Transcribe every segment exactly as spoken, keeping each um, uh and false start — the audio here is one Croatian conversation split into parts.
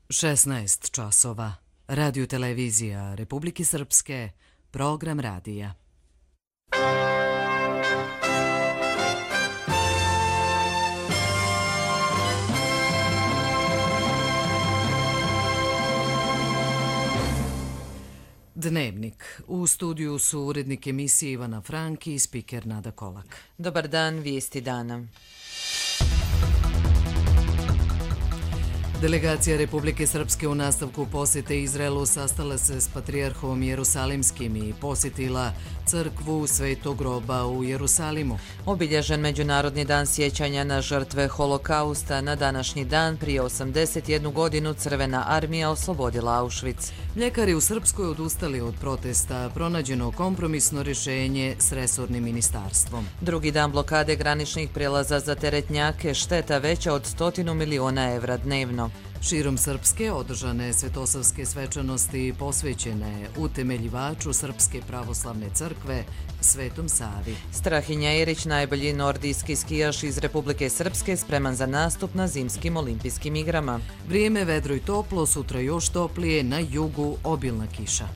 šesnaest časova. Radio televizija Republike Srpske, program radija. Dnevnik. U studiju su urednik emisije Ivana Franki i spiker Nada Kolak. Dobar dan, vijesti dana. Delegacija Republike Srpske u nastavku posjete Izraelu sastala se s patrijarhom Jerusalimskim i posjetila crkvu Svetog groba u Jerusalimu. Obilježen Međunarodni dan sjećanja na žrtve holokausta, na današnji dan prije osamdeset jednu godinu Crvena armija oslobodila Auschwitz. Mljekari u Srpskoj odustali od protesta, pronađeno kompromisno rješenje s resornim ministarstvom. Drugi dan blokade graničnih prijelaza za teretnjake, šteta veća od stotinu miliona evra dnevno. Širom Srpske održane svetosavske svečanosti posvećene utemeljivaču Srpske pravoslavne crkve, Svetom Savi. Strahinja Jerić, najbolji nordijski skijaš iz Republike Srpske, spreman za nastup na zimskim olimpijskim igrama. Vrijeme vedro i toplo, sutra još toplije, na jugu obilna kiša.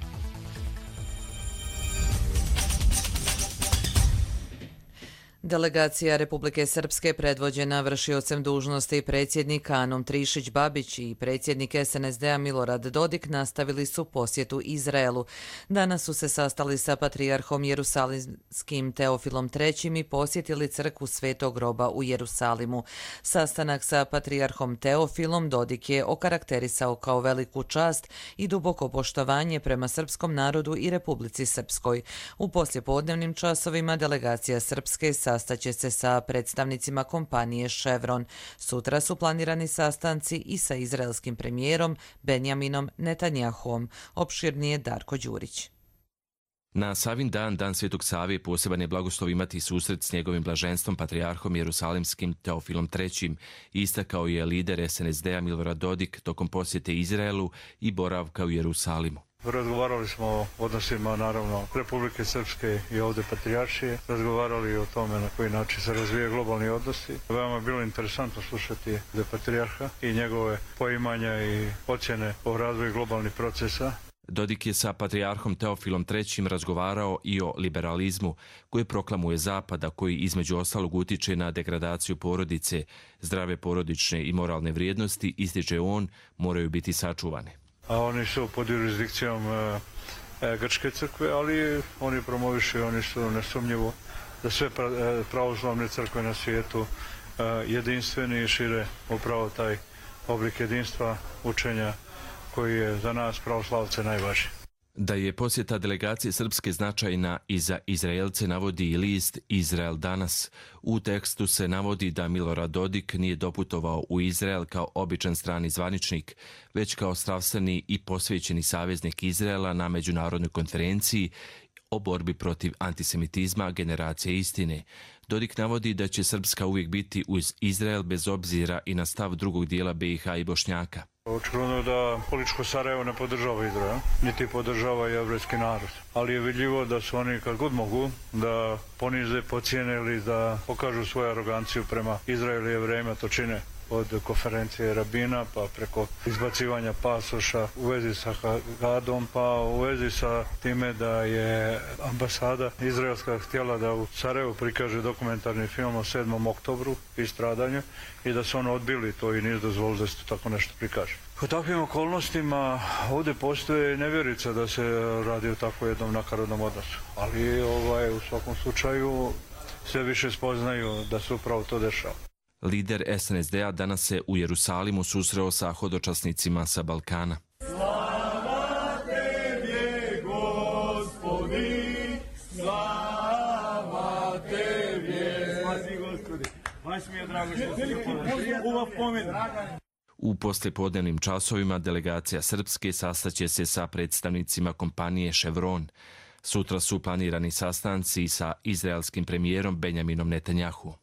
Delegacija Republike Srpske predvođena vršiocem dužnosti predsjednik Anom Trišić-Babić i predsjednik S N S D-a Milorad Dodik nastavili su posjetu Izraelu. Danas su se sastali sa patrijarhom Jerusalimskim Teofilom trećim i posjetili crkvu Svetog groba u Jerusalimu. Sastanak sa patrijarhom Teofilom Dodik je okarakterisao kao veliku čast i duboko poštovanje prema srpskom narodu i Republici Srpskoj. U poslijepodnevnim časovima delegacija Srpske sastaće se sa predstavnicima kompanije Chevron. Sutra su planirani sastanci i sa izraelskim premijerom Benjaminom Netanjahuom. Opširnije Darko Đurić. Na Savin dan, dan Svetog Save, poseban je blagoslov imati susret s njegovim blaženstvom patrijarhom Jerusalimskim Teofilom trećim. Istakao je lider S N S D-a Milorad Dodik tokom posjete Izraelu i boravka u Jerusalimu. Razgovarali smo o odnosima, naravno, Republike Srpske i ovdje patrijaršije. Razgovarali o tome na koji način se razvijaju globalni odnosi. Veoma je bilo interesantno slušati patrijarha i njegove poimanja i ocjene o razvoju globalnih procesa. Dodik je sa patrijarhom Teofilom trećim razgovarao i o liberalizmu koji proklamuje Zapada, koji između ostalog utiče na degradaciju porodice, zdrave porodične i moralne vrijednosti, ističe on, moraju biti sačuvane. A oni su pod jurisdikcijom e, e, Grčke crkve, ali oni promovišu, oni su nesumnjivo da sve pra, e, pravoslavne crkve na svijetu e, jedinstveni i šire upravo taj oblik jedinstva učenja koji je za nas pravoslavce najvažniji. Da je posjeta delegacije Srpske značajna i za Izraelce navodi i list Izrael danas. U tekstu se navodi da Milorad Dodik nije doputovao u Izrael kao običan strani zvaničnik, već kao strastveni i posvećeni saveznik Izraela na međunarodnoj konferenciji o borbi protiv antisemitizma generacije istine. Dodik navodi da će Srpska uvijek biti uz Izrael bez obzira i na stav drugog dijela B i H i Bošnjaka. Očigledno je da političko Sarajevo ne podržava Izrael, niti podržava jevrejski narod. Ali je vidljivo da su oni kad god mogu da ponize, pocijene ili da pokažu svoju aroganciju prema Izraelu i Jevrejima, to čine od konferencije rabina pa preko izbacivanja pasoša u vezi sa Hagadom, pa u vezi sa time da je ambasada izraelska htjela da u Sarajevu prikaže dokumentarni film o sedmom oktobru i stradanju i da su ono odbili to i nisu dozvolili da se to tako nešto prikaže. U takvim okolnostima ovdje postoje nevjerica da se radi o tako jednom nakaradnom odnosu, ali ovaj, u svakom slučaju sve više spoznaju da se upravo to dešava. Lider S N S D-a danas se u Jerusalimu susreo sa hodočasnicima sa Balkana. Slava Tebje, Gospodi, slava Tebje. Spasi, Gospodi. Baš mi je drago što se ova pomena. U poslijepodnevnim časovima delegacija Srpske sastaće se sa predstavnicima kompanije Chevron. Sutra su planirani sastanci sa izraelskim premijerom Benjaminom Netanjahuom.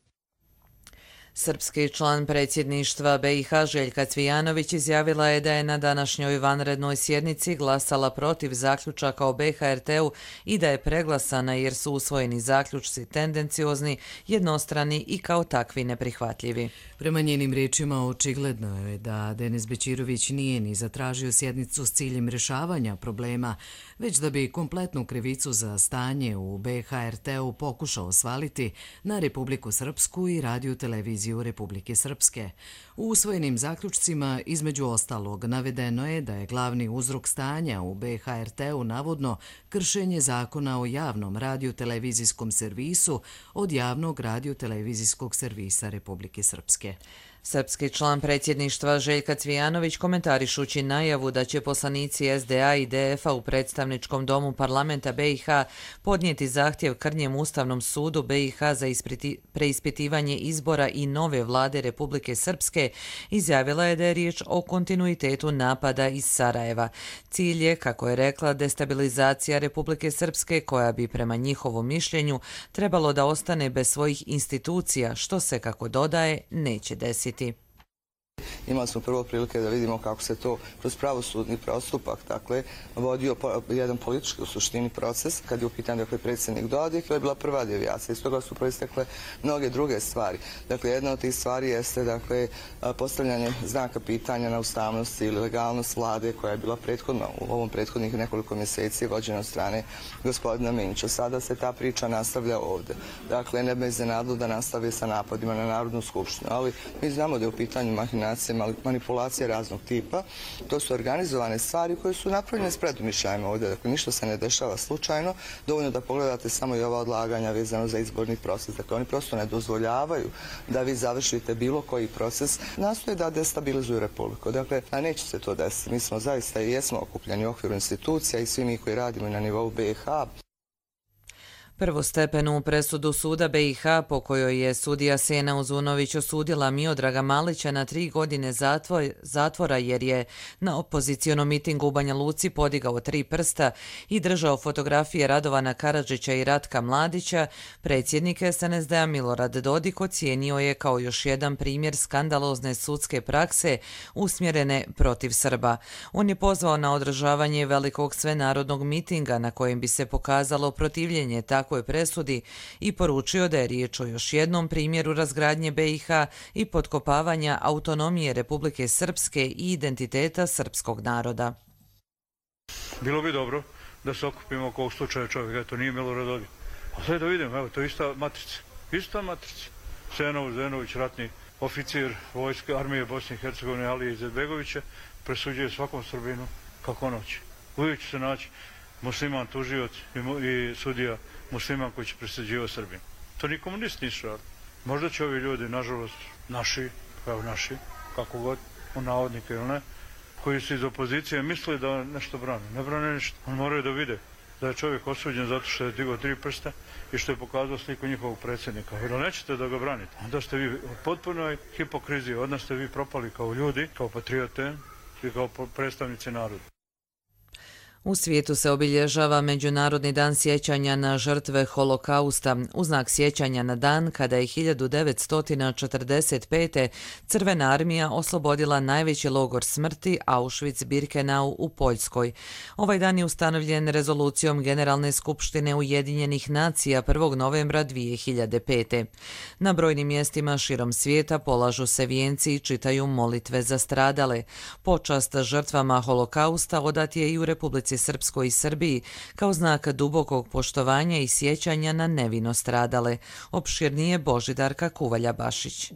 Srpski član predsjedništva B i H Željka Cvijanović izjavila je da je na današnjoj vanrednoj sjednici glasala protiv zaključaka o B H R T-u i da je preglasana jer su usvojeni zaključci tendenciozni, jednostrani i kao takvi neprihvatljivi. Prema njenim riječima očigledno je da Denis Bećirović nije ni zatražio sjednicu s ciljem rješavanja problema, već da bi kompletnu krivicu za stanje u B H R T-u pokušao svaliti na Republiku Srpsku i Radio televiziju Republike Srpske. U usvojenim zaključcima, između ostalog, navedeno je da je glavni uzrok stanja u B H R T-u navodno kršenje zakona o javnom radio-televizijskom servisu od javnog radio-televizijskog servisa Republike Srpske. Srpski član predsjedništva Željka Cvijanović komentarišući najavu da će poslanici S D A i D F-a u predstavničkom domu parlamenta B i H podnijeti zahtjev krnjem Ustavnom sudu B i H za preispitivanje izbora i nove vlade Republike Srpske, izjavila je da je riječ o kontinuitetu napada iz Sarajeva. Cilj je, kako je rekla, destabilizacija Republike Srpske koja bi prema njihovom mišljenju trebalo da ostane bez svojih institucija, što se, kako dodaje, neće desiti. Imali smo prvo prilike da vidimo kako se to kroz pravosudni postupak, dakle, vodio po, jedan politički u suštini proces, kad je u pitanju dakle, predsjednik Dodik, to je bila prva devijacija, iz toga su proistekle mnoge druge stvari. Dakle, jedna od tih stvari jeste dakle, postavljanje znaka pitanja na ustavnost ili legalnost vlade koja je bila prethodno, u ovom prethodnih nekoliko mjeseci vođena od strane gospodina Minča. Sada se ta priča nastavlja ovdje. Dakle, ne bez iznenadilo da nastavi sa napadima na Narodnu skupštinu, ali mi znamo da je u pitanju mahinacija, manipulacije raznog tipa. To su organizovane stvari koje su napravljene s predumišljajima ovdje. Dakle, ništa se ne dešava slučajno. Dovoljno da pogledate samo i ova odlaganja vezano za izborni proces. Dakle, oni prosto ne dozvoljavaju da vi završite bilo koji proces. Nastoje da destabilizuju Republiku. Dakle, a neće se to desiti. Mi smo zaista i jesmo okupljeni u okviru institucija i svi mi koji radimo na nivou B i H. Prvostepenu presudu suda B i H po kojoj je sudija Sena Uzunović osudila Miodraga Malića na tri godine zatvora jer je na opozicionom mitingu u Banja Luci podigao tri prsta i držao fotografije Radovana Karadžića i Ratka Mladića, predsjednik S N S D-a Milorad Dodik ocijenio je kao još jedan primjer skandalozne sudske prakse usmjerene protiv Srba. On je pozvao na održavanje velikog svenarodnog mitinga na kojem bi se pokazalo protivljenje tako je presudi i poručio da je riječ o još jednom primjeru razgradnje B i H i potkopavanja autonomije Republike Srpske i identiteta srpskog naroda. Bilo bi dobro da se okupimo oko ovog slučaja čovjeka, to nije Milorad Dodik. A sve da vidimo, evo, to je ista matrica. Ista matrica. Senov Zenović, ratni oficir vojske armije Bosne i Hercegovine Alije Izetbegovića, presuđuje svakom Srbinu kako noći. Uvijek će se naći musliman tužioc i sudija musliman koji će presuđivati Srbinu. To ni komunist nisu radili. Možda će ovi ljudi, nažalost, naši, kao naši, kako god, u navodnike ili ne, koji su iz opozicije mislili da nešto brane. Ne brane ništa. Oni moraju da vide da je čovjek osuđen zato što je digao tri prsta i što je pokazao sliku njihovog predsjednika. Jer nećete da ga branite. Onda ste vi u potpunoj hipokriziji. Odnosno ste vi propali kao ljudi, kao patriote i kao predstavnici naroda. U svijetu se obilježava Međunarodni dan sjećanja na žrtve Holokausta, u znak sjećanja na dan kada je hiljadu devetsto četrdeset pete. Crvena armija oslobodila najveći logor smrti Auschwitz-Birkenau u Poljskoj. Ovaj dan je ustanovljen rezolucijom Generalne skupštine Ujedinjenih nacija prvog novembra dvije hiljade pete. Na brojnim mjestima širom svijeta polažu se vijenci i čitaju molitve za stradale. Počast žrtvama Holokausta odat je i u Republici Srpskoj i Srbiji kao znak dubokog poštovanja i sjećanja na nevino stradale. Opširnije Božidarka Kuvalja-Bašić.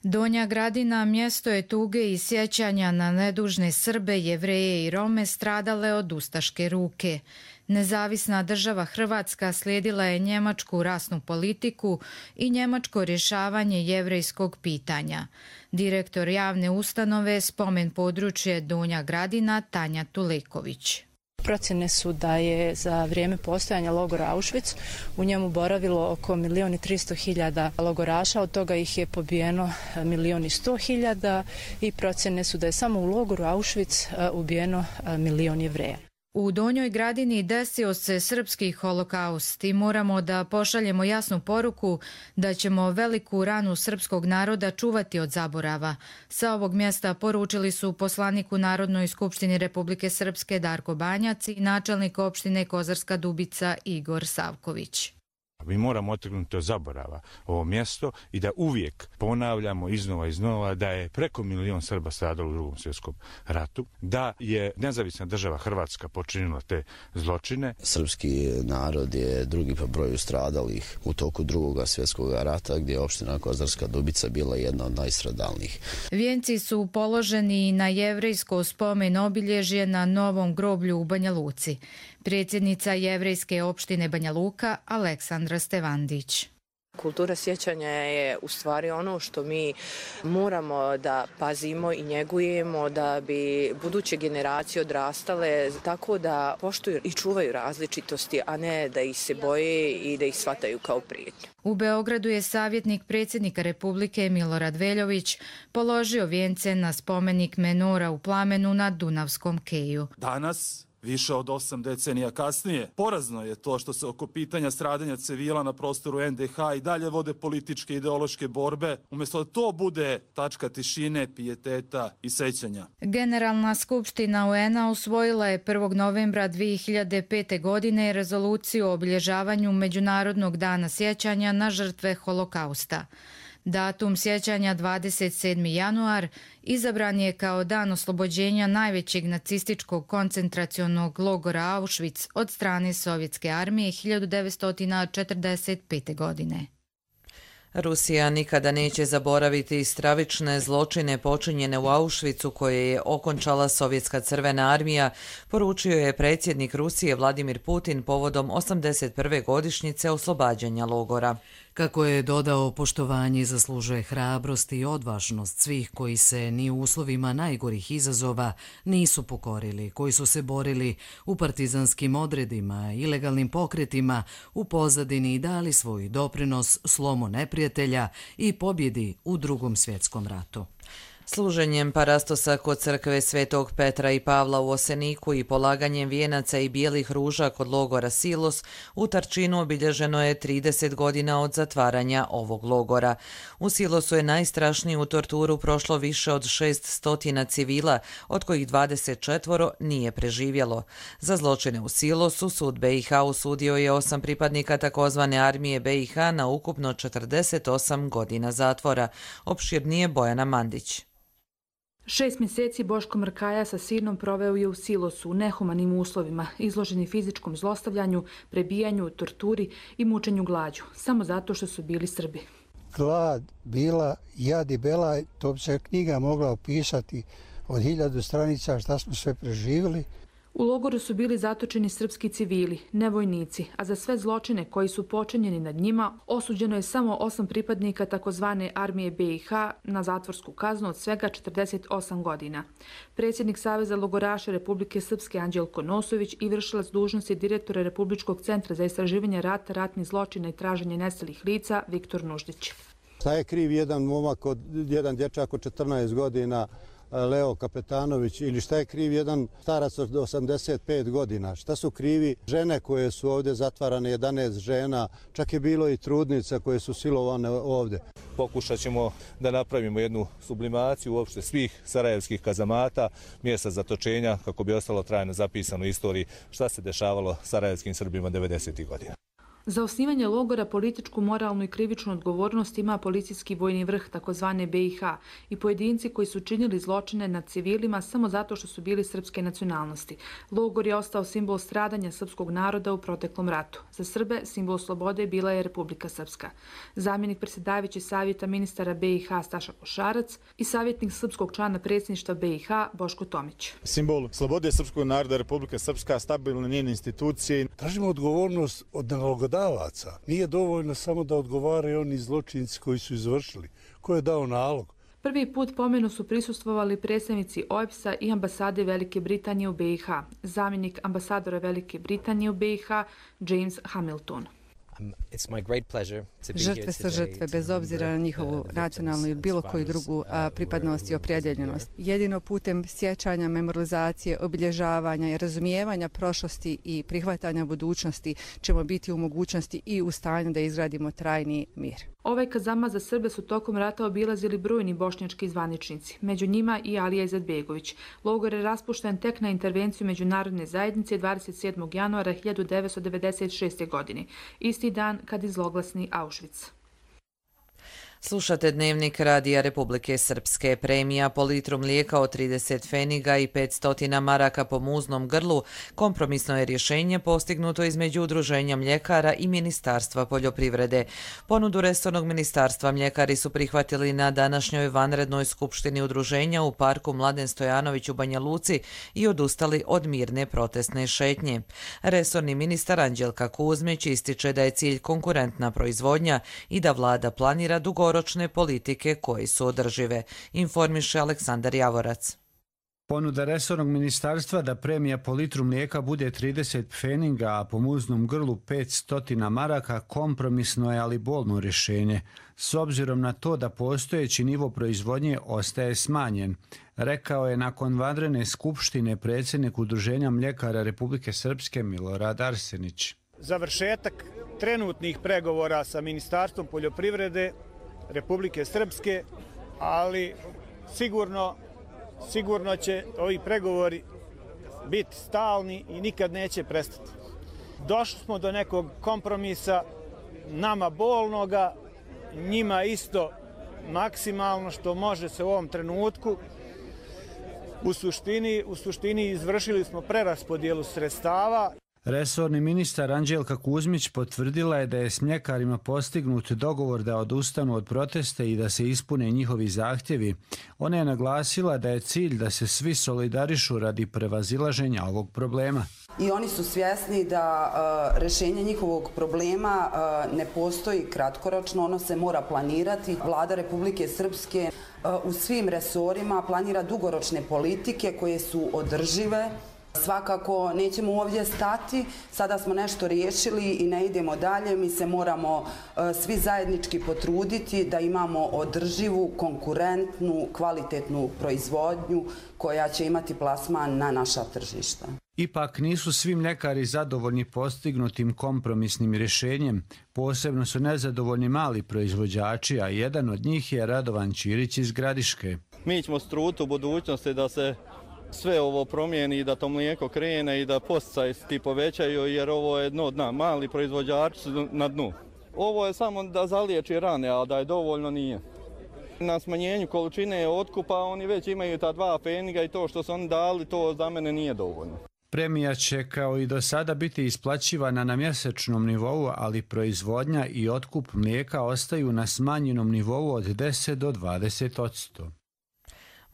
Donja Gradina mjesto je tuge i sjećanja na nedužne Srbe, Jevreje i Rome stradale od ustaške ruke. Nezavisna država Hrvatska slijedila je njemačku rasnu politiku i njemačko rješavanje jevrejskog pitanja. Direktor javne ustanove Spomen područje Donja Gradina Tanja Tuleković. Procjene su da je za vrijeme postojanja logora Auschwitz u njemu boravilo oko milijon i tristo hiljada logoraša, od toga ih je pobijeno milijon i sto hiljada i procjene su da je samo u logoru Auschwitz ubijeno milijon Jevreja. U Donjoj Gradini desio se srpski holokaust i moramo da pošaljemo jasnu poruku da ćemo veliku ranu srpskog naroda čuvati od zaborava. Sa ovog mjesta poručili su poslanik u Narodnoj skupštini Republike Srpske Darko Banjac i načelnik opštine Kozarska Dubica Igor Savković. Mi moramo otrgnuti od zaborava ovo mjesto i da uvijek ponavljamo iznova i iznova da je preko milion Srba stradalo u Drugom svjetskom ratu, da je nezavisna država Hrvatska počinila te zločine. Srpski narod je drugi po broju stradalih u toku Drugog svjetskog rata, gdje je opština Kozarska Dubica bila jedna od najstradalnijih. Vijenci su položeni na jevrejsko spomen obilježje na novom groblju u Banja Luci. Predsjednica jevrejske opštine Banja Luka Aleksandra Stevandić. Kultura sjećanja je u stvari ono što mi moramo da pazimo i njegujemo da bi buduće generacije odrastale tako da poštuju i čuvaju različitosti, a ne da ih se boje i da ih shvataju kao prijetnju. U Beogradu je savjetnik predsjednika Republike Milorad Veljović položio vijence na spomenik Menora u Plamenu na Dunavskom keju. Danas, više od osam decenija kasnije, porazno je to što se oko pitanja stradanja civila na prostoru en de ha i dalje vode političke i ideološke borbe, umjesto da to bude tačka tišine, pijeteta i sećanja. Generalna skupština U En a usvojila je prvog novembra dvije hiljade pete. godine rezoluciju o obilježavanju Međunarodnog dana sjećanja na žrtve holokausta. Datum sjećanja dvadeset sedmi januar izabran je kao dan oslobođenja najvećeg nacističkog koncentracionog logora Auschwitz od strane Sovjetske armije hiljadu devetsto četrdeset pete. godine. Rusija nikada neće zaboraviti stravične zločine počinjene u Auschwitzu koje je okončala Sovjetska crvena armija, poručio je predsjednik Rusije Vladimir Putin povodom osamdeset prve godišnjice oslobađanja logora. Kako je dodao, poštovanje zaslužuje hrabrost i odvažnost svih koji se ni u uslovima najgorih izazova nisu pokorili, koji su se borili u partizanskim odredima, ilegalnim pokretima, u pozadini i dali svoj doprinos slomu neprijatelja i pobjedi u Drugom svjetskom ratu. Služenjem parastosa kod crkve Svetog Petra i Pavla u Oseniku i polaganjem vijenaca i bijelih ruža kod logora Silos, u Tarčinu obilježeno je trideset godina od zatvaranja ovog logora. U Silosu je najstrašniju torturu prošlo više od šest stotina civila, od kojih dvadeset četvoro nije preživjelo. Za zločine u Silosu sud Be i ha osudio je osam pripadnika takozvane armije Be i ha na ukupno četrdeset osam godina zatvora. Opširnije Bojana Mandić. Šest mjeseci Boško Mrkaja sa sinom proveo je u Silosu u nehumanim uslovima, izloženi fizičkom zlostavljanju, prebijanju, torturi i mučenju glađu, samo zato što su bili Srbi. Glad, bila, jad i belaj, to bi se knjiga mogla opisati od hiljadu stranica šta smo sve preživjeli. U logoru su bili zatočeni srpski civili, ne vojnici, a za sve zločine koji su počinjeni nad njima osuđeno je samo osam pripadnika takozvane armije Be i ha na zatvorsku kaznu od svega četrdeset osam godina. Predsjednik Saveza logoraša Republike Srpske Anđelko Nosović i vršilac dužnosti direktora Republičkog centra za istraživanje rata, ratnih zločina i traženje nestalih lica Viktor Nuždić. Šta je kriv jedan momak, od, jedan dječak od četrnaest godina, Leo Kapetanović, ili šta je kriv jedan starac od osamdeset pet godina? Šta su krivi žene koje su ovdje zatvarane, jedanaest žena, čak je bilo i trudnica koje su silovane ovdje. Pokušat ćemo da napravimo jednu sublimaciju uopšte svih sarajevskih kazamata, mjesta zatočenja, kako bi ostalo trajno zapisano u istoriji šta se dešavalo sarajevskim Srbima devedesetih godina. Za osnivanje logora političku, moralnu i krivičnu odgovornost ima policijski vojni vrh takozvane Be i ha i pojedinci koji su činili zločine nad civilima samo zato što su bili srpske nacionalnosti. Logor je ostao simbol stradanja srpskog naroda u proteklom ratu. Za Srbe simbol slobode bila je Republika Srpska. Zamjenik predsjedavajući savjeta ministara Be i ha Staša Košarac i savjetnik srpskog člana predsjedništva Be i ha Boško Tomić. Simbol slobode srpskog naroda Republika Srpska, stabilne njene institucije. Tražimo odgovornost od nalogodavaca. Nije dovoljno samo da odgovaraju oni zločinci koji su izvršili. Ko je dao nalog? Prvi put pomenu su prisustvovali predstavnici O E B S-a i ambasade Velike Britanije u Be i ha. Zamjenik ambasadora Velike Britanije u Be i ha James Hamilton. Žrtve su žrtve bez obzira na njihovu nacionalnu ili bilo koju drugu pripadnost i opredjeljenost. Jedino putem sjećanja, memorializacije, obilježavanja i razumijevanja prošlosti i prihvatanja budućnosti ćemo biti u mogućnosti i u stanju da izgradimo trajni mir. Ovaj kazama za Srbe su tokom rata obilazili brojni bošnjački zvaničnici, među njima i Alija Izetbegović. Logor je raspušten tek na intervenciju međunarodne zajednice dvadeset sedmog januara hiljadu devetsto devedeset šeste. godine, isti dan kad izloglasni Auschwitz. Slušate Dnevnik Radija Republike Srpske. Premija po litru mlijeka od trideset pfeniga i petsto maraka po muznom grlu kompromisno je rješenje postignuto između Udruženja mljekara i Ministarstva poljoprivrede. Ponudu resornog ministarstva mljekari su prihvatili na današnjoj vanrednoj skupštini udruženja u parku Mladen Stojanović u Banja Luci i odustali od mirne protestne šetnje. Resorni ministar Anđelka Kuzmić ističe da je cilj konkurentna proizvodnja i da vlada planira dugo ročne politike koje su održive, informiše Aleksandar Javorac. Ponuda resornog ministarstva da premija po litru mlijeka bude trideset pfeniga, a po muznom grlu petsto maraka kompromisno je, ali bolno rješenje, s obzirom na to da postojeći nivo proizvodnje ostaje smanjen, rekao je nakon vanredne skupštine predsjednik Udruženja mljekara Republike Srpske Milorad Arsenić. Završetak trenutnih pregovora sa Ministarstvom poljoprivrede Republike Srpske, ali sigurno, sigurno će ovi pregovori biti stalni i nikad neće prestati. Došli smo do nekog kompromisa, nama bolnoga, njima isto maksimalno što može se u ovom trenutku. U suštini, u suštini izvršili smo preraspodjelu sredstava. Resorni ministar Anđelka Kuzmić potvrdila je da je s mljekarima postignut dogovor da odustanu od protesta i da se ispune njihovi zahtjevi. Ona je naglasila da je cilj da se svi solidarišu radi prevazilaženja ovog problema. I oni su svjesni da uh, rješenje njihovog problema uh, ne postoji kratkoročno, ono se mora planirati. Vlada Republike Srpske uh, u svim resorima planira dugoročne politike koje su održive. Svakako nećemo ovdje stati, sada smo nešto riješili i ne idemo dalje, mi se moramo uh, svi zajednički potruditi da imamo održivu, konkurentnu, kvalitetnu proizvodnju koja će imati plasman na naša tržišta. Ipak nisu svi mljekari zadovoljni postignutim kompromisnim rješenjem, posebno su nezadovoljni mali proizvođači, a jedan od njih je Radovan Ćirić iz Gradiške. Mi ćemo struti u budućnosti da se sve ovo promijeni, da to mlijeko krene i da posticaji ti povećaju, jer ovo je dno dna. Mali proizvođači su na dnu. Ovo je samo da zaliječi rane, a da je dovoljno nije. Na smanjenju količine otkupa oni već imaju ta dva pfeniga i to što su oni dali, to za mene nije dovoljno. Premija će kao i do sada biti isplaćivana na mjesečnom nivou, ali proizvodnja i otkup mlijeka ostaju na smanjenom nivou od deset do dvadeset posto.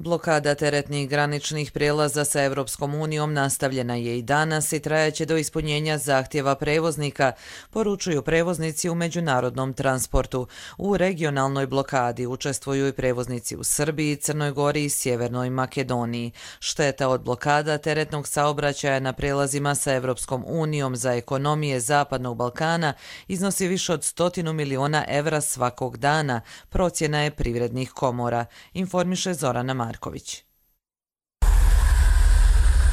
Blokada teretnih graničnih prijelaza sa Evropskom unijom nastavljena je i danas i trajaće do ispunjenja zahtjeva prevoznika, poručuju prevoznici u međunarodnom transportu. U regionalnoj blokadi učestvuju i prevoznici u Srbiji, Crnoj Gori i Sjevernoj Makedoniji. Šteta od blokada teretnog saobraćaja na prijelazima sa Evropskom unijom za ekonomije Zapadnog Balkana iznosi više od stotinu miliona evra svakog dana, procjena je privrednih komora, informiše Zorana Marković.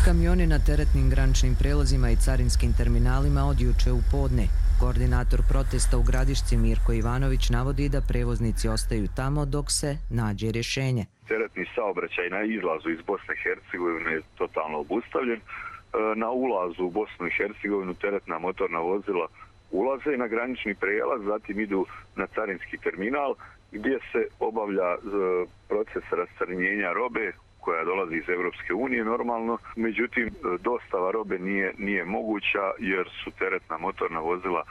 Kamioni na teretnim graničnim prelazima i carinskim terminalima od juče u podne. Koordinator protesta u Gradišci Mirko Ivanović navodi da prevoznici ostaju tamo dok se nađe rješenje. Teretni saobraćaj na izlazu iz Bosne i Hercegovine je totalno obustavljen. Na ulazu u Bosnu i Hercegovinu teretna motorna vozila ulaze na granični prijelaz, zatim idu na carinski terminal gdje se obavlja proces rascarinjenja robe koja dolazi iz Evropske unije normalno. Međutim, dostava robe nije, nije moguća jer su teretna motorna vozila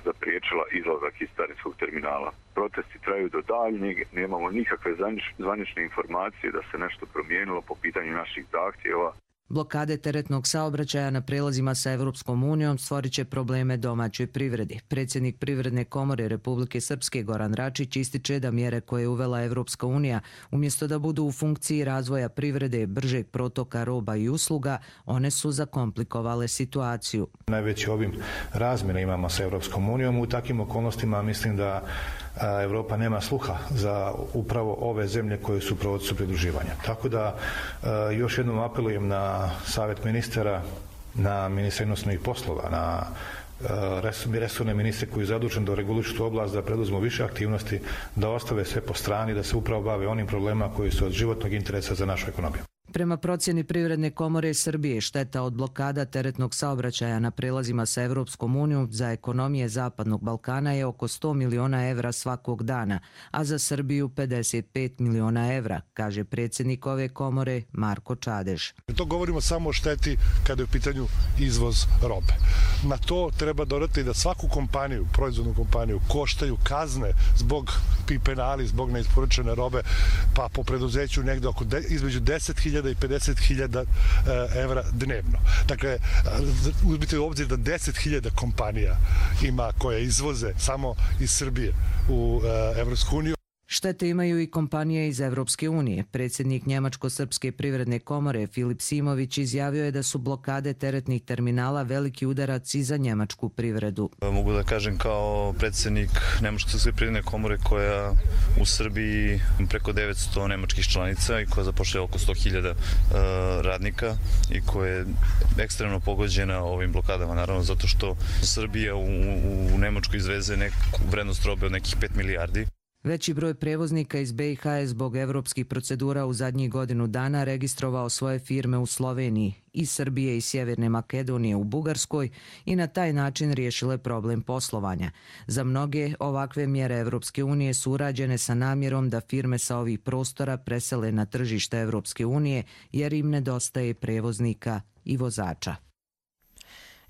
zapriječila izlazak iz carinskog terminala. Protesti traju do daljnjeg, nemamo nikakve zvanične informacije da se nešto promijenilo po pitanju naših zahtjeva. Blokade teretnog saobraćaja na prelazima sa Evropskom unijom stvorit će probleme domaćoj privredi. Predsjednik Privredne komore Republike Srpske Goran Račić ističe da mjere koje je uvela Evropska unija, umjesto da budu u funkciji razvoja privrede, bržeg protoka roba i usluga, one su zakomplikovale situaciju. Najveći obim razmjena imamo sa Evropskom unijom. U takvim okolnostima mislim da Evropa nema sluha za upravo ove zemlje koje su u procesu pridruživanja. Tako da još jednom apelujem na Savjet ministara, na ministra inostranih poslova, na resorne ministre koji je zadužen da regulišu tu oblast, da preduzmu više aktivnosti, da ostave sve po strani, da se upravo bave onim problemima koji su od životnog interesa za našu ekonomiju. Prema procjeni Privredne komore Srbije, šteta od blokada teretnog saobraćaja na prelazima sa Evropskom unijom za ekonomije Zapadnog Balkana je oko sto miliona evra svakog dana, a za Srbiju pedeset pet miliona evra, kaže predsjednik ove komore Marko Čadež. To govorimo samo o šteti kada je u pitanju izvoz robe. Na to treba dodati da svaku kompaniju, proizvodnu kompaniju, koštaju kazne zbog penali, zbog neisporučene robe, pa po preduzeću negde oko de, između deset hiljada i pedeset hiljada evra dnevno. Dakle, uzmite u obzir da deset hiljada kompanija ima koje izvoze samo iz Srbije u Evropsku uniju. Štete imaju i kompanije iz Evropske unije. Predsjednik Njemačko-srpske privredne komore Filip Simović izjavio je da su blokade teretnih terminala veliki udarac i za njemačku privredu. Mogu da kažem kao predsjednik Njemačko-srpske privredne komore koja u Srbiji preko devetsto nemačkih članica i koja zapošljava oko sto hiljada radnika i koja je ekstremno pogođena ovim blokadama. Naravno zato što Srbija u, u Nemačku izveze neku vrednost robe od nekih pet milijardi. Veći broj prevoznika iz be i ha je zbog evropskih procedura u zadnjih godinu dana registrovao svoje firme u Sloveniji, iz Srbije i Sjeverne Makedonije u Bugarskoj i na taj način riješile problem poslovanja. Za mnoge ovakve mjere Evropske unije su urađene sa namjerom da firme sa ovih prostora presele na tržište Evropske unije jer im nedostaje prevoznika i vozača.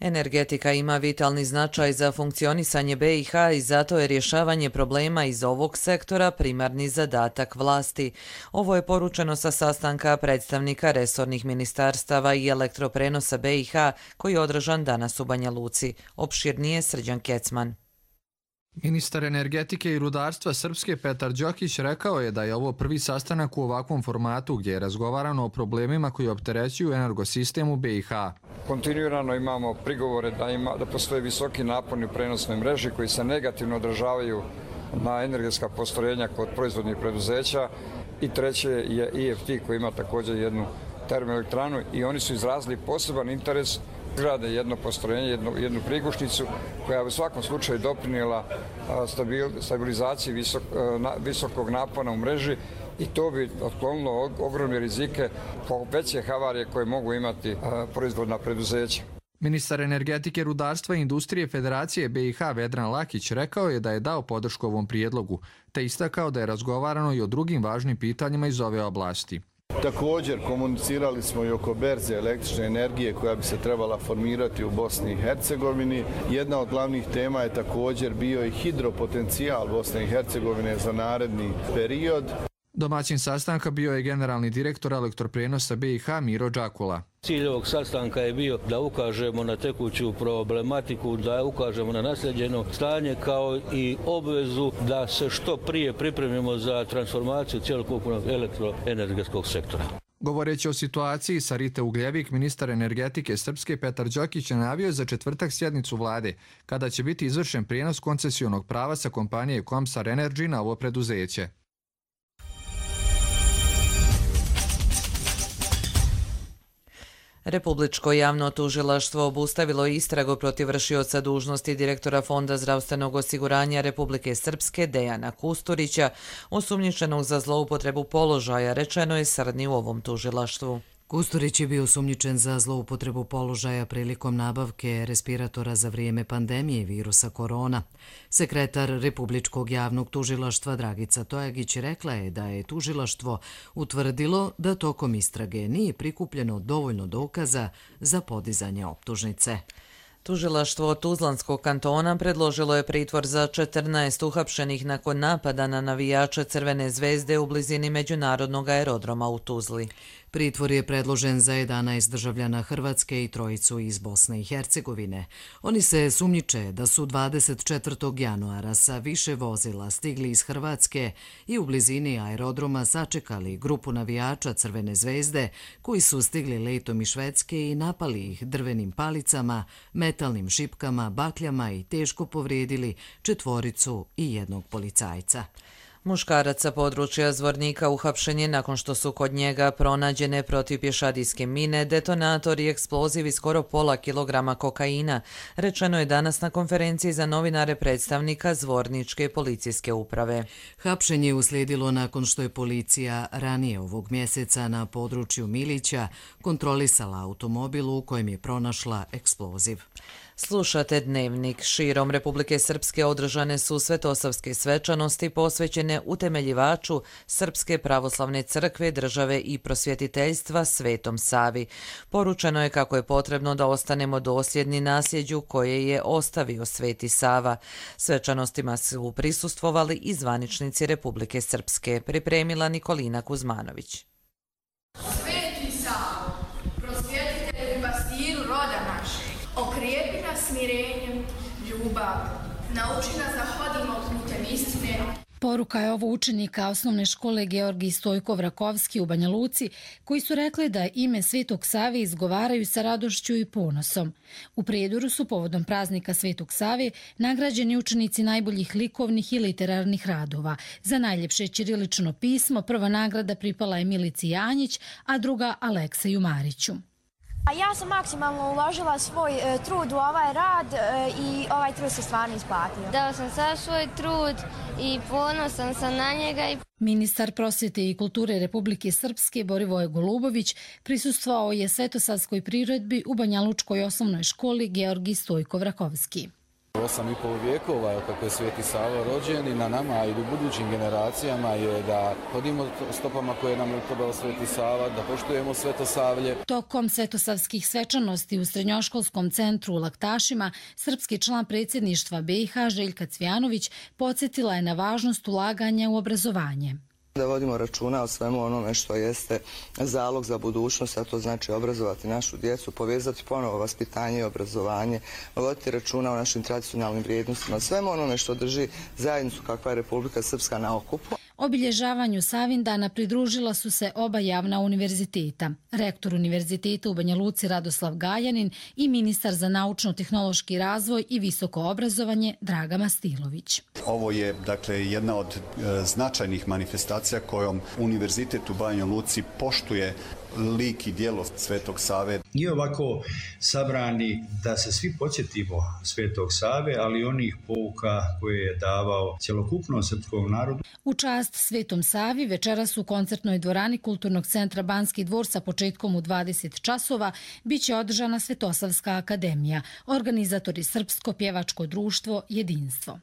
Energetika ima vitalni značaj za funkcionisanje be i ha i zato je rješavanje problema iz ovog sektora primarni zadatak vlasti. Ovo je poručeno sa sastanka predstavnika resornih ministarstava i elektroprenosa be i ha koji je održan danas u Banja Luci. Opširnije Srđan Kecman. Ministar energetike i rudarstva Srpske Petar Đokić rekao je da je ovo prvi sastanak u ovakvom formatu gdje je razgovarano o problemima koji opterećuju energosistem u be i ha. Kontinuirano imamo prigovore da, ima, da postoje visoki naponi u prenosnoj mreži koji se negativno odražavaju na energetska postrojenja kod proizvodnih preduzeća i treće je i ef te koji ima također jednu termoelektranu i oni su izrazili poseban interes grade jedno postrojenje, jednu, jednu prigušnicu koja u svakom slučaju doprinijela stabil, stabilizaciji visok, na, visokog napona u mreži i to bi otklonilo ogromne rizike po veće havarije koje mogu imati proizvodna preduzeća. Ministar energetike, rudarstva i industrije Federacije be i ha Vedran Lakić rekao je da je dao podršku ovom prijedlogu, te istakao da je razgovarano i o drugim važnim pitanjima iz ove oblasti. Također komunicirali smo i oko berze električne energije koja bi se trebala formirati u Bosni i Hercegovini. Jedna od glavnih tema je također bio i hidropotencijal Bosne i Hercegovine za naredni period. Domaćin sastanka bio je generalni direktor elektroprenosa be i ha Miro Đakula. Cilj ovog sastanka je bio da ukažemo na tekuću problematiku, da ukažemo na nasljeđeno stanje kao i obvezu da se što prije pripremimo za transformaciju cjelokupnog elektroenergetskog sektora. Govoreći o situaciji sa Rite Ugljevik, ministar energetike Srpske Petar Đokić najavio za četvrtak sjednicu vlade, kada će biti izvršen prijenos koncesionog prava sa kompanije Comsar Energy na ovo preduzeće. Republičko javno tužilaštvo obustavilo istragu protiv vršioca dužnosti direktora Fonda zdravstvenog osiguranja Republike Srpske Dejana Kusturića, osumnjičenog za zloupotrebu položaja, rečeno je Srdni u ovom tužilaštvu. Kusturić je bio osumnjičen za zloupotrebu položaja prilikom nabavke respiratora za vrijeme pandemije virusa korona. Sekretar Republičkog javnog tužilaštva Dragica Tojagić rekla je da je tužilaštvo utvrdilo da tokom istrage nije prikupljeno dovoljno dokaza za podizanje optužnice. Tužilaštvo Tuzlanskog kantona predložilo je pritvor za četrnaest uhapšenih nakon napada na navijače Crvene zvezde u blizini međunarodnog aerodroma u Tuzli. Pritvor je predložen za jedanaest državljana Hrvatske i trojicu iz Bosne i Hercegovine. Oni se sumnjiče da su dvadeset četvrtog januara sa više vozila stigli iz Hrvatske i u blizini aerodroma sačekali grupu navijača Crvene zvezde koji su stigli letom iz Švedske i napali ih drvenim palicama, metalnim šipkama, bakljama i teško povrijedili četvoricu i jednog policajca. Muškarac sa područja Zvornika uhapšen je nakon što su kod njega pronađene protipješadijske mine, detonator i eksploziv i skoro pola kilograma kokaina, rečeno je danas na konferenciji za novinare predstavnika Zvorničke policijske uprave. Hapšenje je uslijedilo nakon što je policija ranije ovog mjeseca na području Milića kontrolisala automobil u kojem je pronašla eksploziv. Slušate Dnevnik. Širom Republike Srpske održane su svetosavske svečanosti posvećene utemeljivaču Srpske pravoslavne crkve, države i prosvjetiteljstva Svetom Savi. Poručeno je kako je potrebno da ostanemo dosljedni nasljeđu koje je ostavio Sveti Sava. Svečanostima su prisustvovali i zvaničnici Republike Srpske, pripremila Nikolina Kuzmanović. Sveti Savo, prosvjetitelj i pastiru roda našeg, okrijepi nas smirenjem, ljubav, nauči nas da hodimo putem istine. Poruka je ovo učenika osnovne škole Georgij Stojkov Rakovski u Banja Luci, koji su rekli da ime Svetog Save izgovaraju sa radošću i ponosom. U Prijedoru su povodom praznika Svetog Save nagrađeni učenici najboljih likovnih i literarnih radova. Za najljepše ćirilično pismo prva nagrada pripala je Milici Janjić, a druga Alekseju Mariću. Ja sam maksimalno uložila svoj e, trud u ovaj rad e, i ovaj trud se stvarno isplatio. Dao sam sav svoj trud i ponosan sam na njega. Ministar prosvjete i kulture Republike Srpske Borivoje Golubović prisustvovao je svetosavskoj priredbi u Banjalučkoj osnovnoj školi Georgij Stojkov Rakovski. Osam i pol vijekova kako je Sveti Sava rođen i na nama i u budućim generacijama je da hodimo stopama koje nam je utobao Sveti Sava, da poštujemo Svetosavlje. Tokom svetosavskih svečanosti u srednjoškolskom centru u Laktašima, srpski član predsjedništva B i H Željka Cvjanović podsjetila je na važnost ulaganja u obrazovanje. Da vodimo računa o svemu onome što jeste zalog za budućnost, a to znači obrazovati našu djecu, povezati ponovo vaspitanje i obrazovanje, voditi računa o našim tradicionalnim vrijednostima, svemu onome što drži zajednicu kakva je Republika Srpska na okupu. Obilježavanju Savindana pridružila su se oba javna univerziteta. Rektor univerziteta u Banja Luci Radoslav Gajanin i ministar za naučno-tehnološki razvoj i visoko obrazovanje Draga Mastilović. Ovo je dakle jedna od e, značajnih manifestacija kojom univerzitet u Banja Luci poštuje lik i djelo Svetog Save. I ovako sabrani da se svi podsjetimo Svetog Save, ali onih pouka koje je davao cjelokupnom srpskom narodu. U čast Svetom Savi večeras u koncertnoj dvorani Kulturnog centra Banski dvor sa početkom u dvadeset časova biće održana Svetosavska akademija, organizatori Srpsko pjevačko društvo Jedinstvo.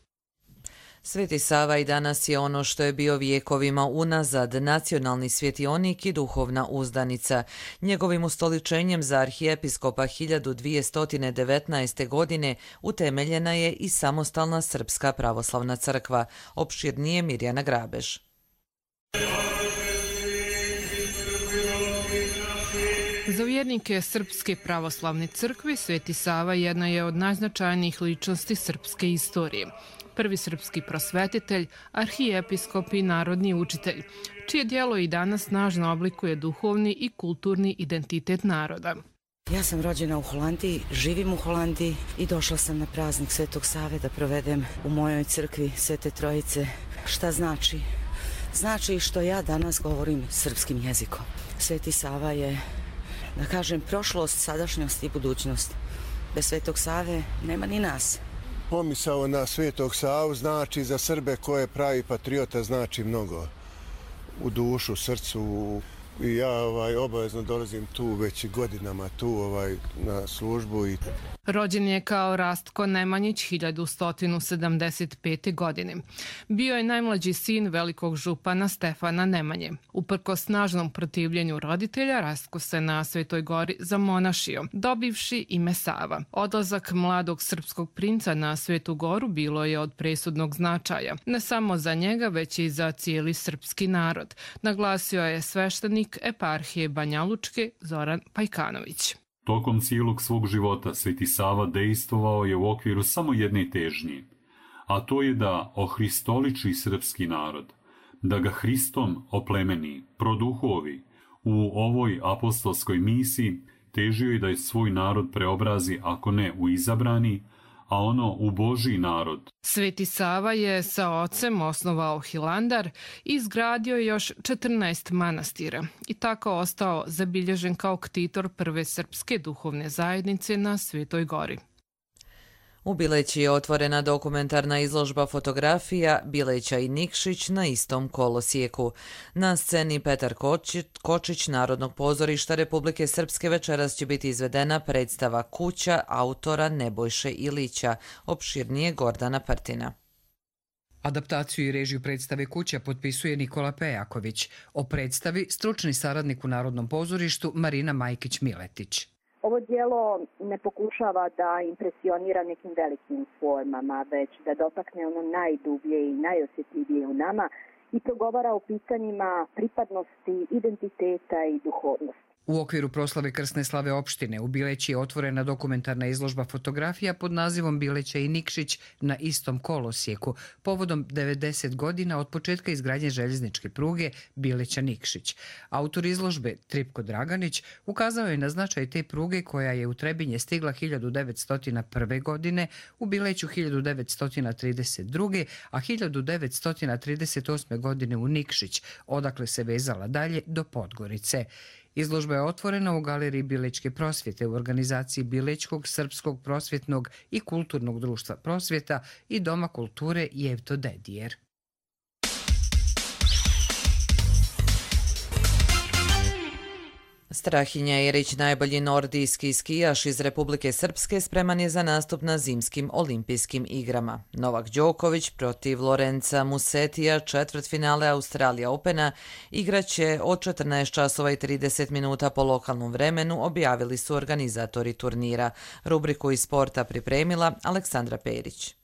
Sveti Sava i danas je ono što je bio vijekovima unazad, nacionalni svjetionik i duhovna uzdanica. Njegovim ustoličenjem za arhijepiskopa hiljadu dvjesto devetnaeste. godine utemeljena je i samostalna Srpska pravoslavna crkva. Opširnije Mirjana Grabež. Za vjernike Srpske pravoslavne crkve Sveti Sava jedna je od najznačajnijih ličnosti srpske istorije. Prvi srpski prosvetitelj, arhijepiskop i narodni učitelj, čije djelo i danas snažno oblikuje duhovni i kulturni identitet naroda. Ja sam rođena u Holandiji, živim u Holandiji i došla sam na praznik Svetog Save da provedem u mojoj crkvi Svete Trojice. Šta znači? Znači što ja danas govorim srpskim jezikom. Sveti Sava je, da kažem, prošlost, sadašnjost i budućnost. Bez Svetog Save nema ni nas. Pomisao na Svetog Savu znači za Srbe koje pravi patriota znači mnogo u dušu, srcu. I ja ovaj, obavezno dolazim tu već godinama tu ovaj, na službu. I... Rođen je kao Rastko Nemanjić hiljadu sto sedamdeset pete. godine. Bio je najmlađi sin velikog župana Stefana Nemanje. Uprkos snažnom protivljenju roditelja, Rastko se na Svetoj Gori zamonašio, dobivši ime Sava. Odlazak mladog srpskog princa na Svetu Goru bilo je od presudnog značaja, ne samo za njega, već i za cijeli srpski narod, naglasio je sveštenik svećenik eparhije Banja Lučke Zoran Pajkanović. Tokom cijelog svog života Sveti Sava dejstvovao je u okviru samo jedne težnje, a to je da ohristoliči srpski narod, da ga Hristom oplemeni, produhovi. U ovoj apostolskoj misiji težio je da je svoj narod preobrazi, ako ne u izabrani, a ono u Božji narod. Sveti Sava je sa ocem osnovao Hilandar i izgradio još četrnaest manastira i tako ostao zabilježen kao ktitor prve srpske duhovne zajednice na Svetoj Gori. U Bileći je otvorena dokumentarna izložba fotografija Bileća i Nikšić na istom kolosijeku. Na sceni Petar Kočić Narodnog pozorišta Republike Srpske večeras će biti izvedena predstava Kuća autora Nebojše Ilića, opširnije Gordana Partina. Adaptaciju i režiju predstave Kuća potpisuje Nikola Pejaković. O predstavi stručni saradnik u Narodnom pozorištu Marina Majkić-Miletić. Ovo dijelo ne pokušava da impresionira nekim velikim formama, već da dotakne ono najdublje i najosjetljivije u nama i progovara o pitanjima pripadnosti, identiteta i duhovnosti. U okviru proslave krsne slave opštine u Bileći je otvorena dokumentarna izložba fotografija pod nazivom Bileća i Nikšić na istom kolosijeku, povodom devedeset godina od početka izgradnje željezničke pruge Bileća-Nikšić. Autor izložbe, Tripko Draganić, ukazao je na značaj te pruge koja je u Trebinje stigla hiljadu devetsto prve. godine, u Bileću hiljadu devetsto trideset druge. a hiljadu devetsto trideset osme. godine u Nikšić, odakle se vezala dalje do Podgorice. Izložba je otvorena u Galeriji Bilečke prosvjete u organizaciji Bilećkog srpskog prosvjetnog i kulturnog društva prosvjeta i Doma kulture Jevto Dedijer. Strahinja Erić, najbolji nordijski skijaš iz Republike Srpske, spreman je za nastup na zimskim olimpijskim igrama. Novak Đoković protiv Lorenza Musetija, četvrtfinale Australija Opena, igraće od četrnaest časova i trideset minuta po lokalnom vremenu, objavili su organizatori turnira. Rubriku iz sporta pripremila Aleksandra Perić.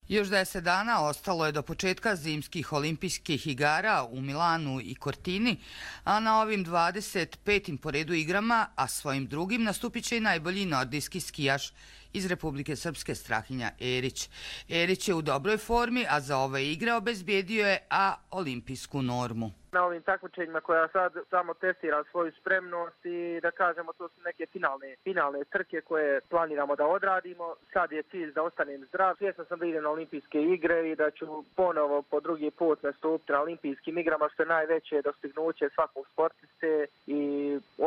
Još deset dana ostalo je do početka zimskih olimpijskih igara u Milanu i Cortini, a na ovim dvadeset petim po redu igrama, a svojim drugim nastupit će i najbolji nordijski skijaš iz Republike Srpske Strahinja Erić. Erić je u dobroj formi, a za ove igre obezbijedio je A olimpijsku normu. Na ovim takmičenjima koja sad samo testira svoju spremnost i da kažemo to su neke finalne, finalne trke koje planiramo da odradimo. Sad je cilj da ostanem zdrav. Svjesno sam da idem na olimpijske igre i da ću ponovo po drugi put nastupiti na olimpijskim igrama, što je najveće dostignuće svakog sportiste i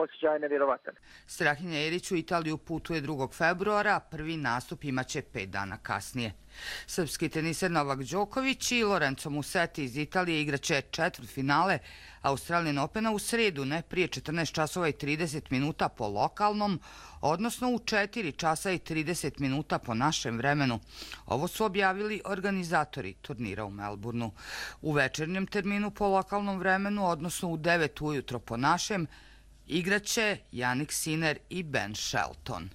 osjećaj nevjerovatan. Strahinja Erić u Italiju putuje drugog februara, prvi nastup imaće pet dana kasnije. Srpski teniser Novak Đoković i Lorenzo Musetti iz Italije igraće četvrtfinale Australian Opena u sredu, ne prije četrnaest časova i trideset minuta po lokalnom, odnosno u četiri časa i trideset minuta po našem vremenu. Ovo su objavili organizatori turnira u Melbourneu. U večernjem terminu po lokalnom vremenu, odnosno u devet ujutro po našem, igraće Jannik Sinner i Ben Shelton.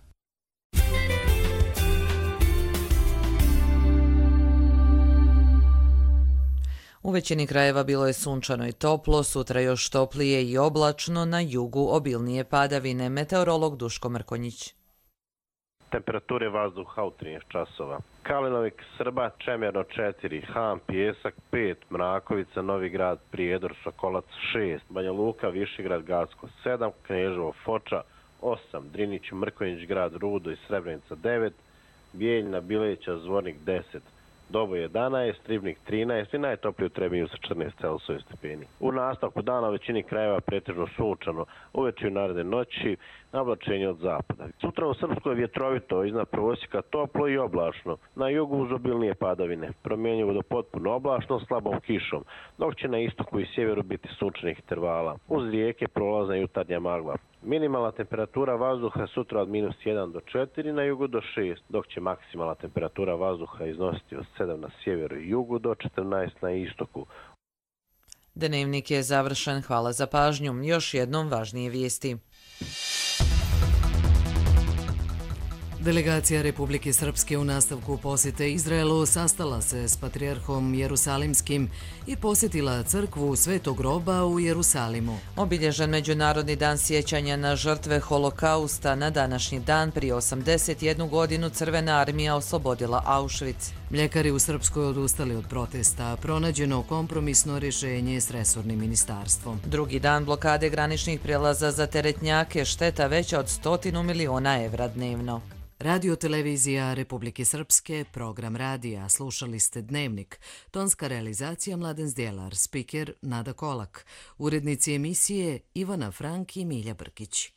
U većini krajeva bilo je sunčano i toplo, sutra još toplije i oblačno, na jugu obilnije padavine. Meteorolog Duško Mrkonjić. Temperature vazduha u trinaest časova. Kalinovik, Srba, Čemerno četiri, Ham, Pijesak pet, Mrakovica, Novi Grad, Prijedor, Sokolac šest, Banja Luka, Višegrad, Gacko sedam, Kneževo, Foča osam, Drinić, Mrkonjić, Grad, Rudo i Srebrenica devet, Bijeljina, Bileća, Zvornik deset, Dobo jedanaest, Ribnik trinaest i najtoplije u Trebinju sa četrnaest Celzijusovih stepeni. U nastavku dana u većini krajeva pretežno sunčano, uveče i naredne noći navlačenje od zapada. Sutra u Srpskoj je vjetrovito, iznad prosjeka toplo i oblačno. Na jugu uz obilnije padavine, promjenjivo do potpuno oblačno slabom kišom, dok će na istoku i sjeveru biti sunčanih intervala. Uz rijeke prolazna jutarnja magla. Minimalna temperatura vazduha sutra od minus jedan do četiri, na jugu do šest, dok će maksimalna temperatura vazduha iznositi od sedam na sjeveru i jugu do četrnaest na istoku. Dnevnik je završen. Hvala za pažnju. Još jednom važnije vijesti. Delegacija Republike Srpske u nastavku posjete Izraelu sastala se s patrijarhom Jerusalimskim i posjetila crkvu Svetog groba u Jerusalimu. Obilježen Međunarodni dan sjećanja na žrtve holokausta, na današnji dan prije osamdeset jednu godinu Crvena armija oslobodila Auschwitz. Mljekari u Srpskoj odustali od protesta, pronađeno kompromisno rješenje s resornim ministarstvom. Drugi dan blokade graničnih prijelaza za teretnjake, šteta veća od stotinu miliona evra dnevno. Radio televizija Republike Srpske, program radija, slušali ste Dnevnik, tonska realizacija Mladen Zdjelar, spiker Nada Kolak, urednici emisije Ivana Frank i Milja Brkić.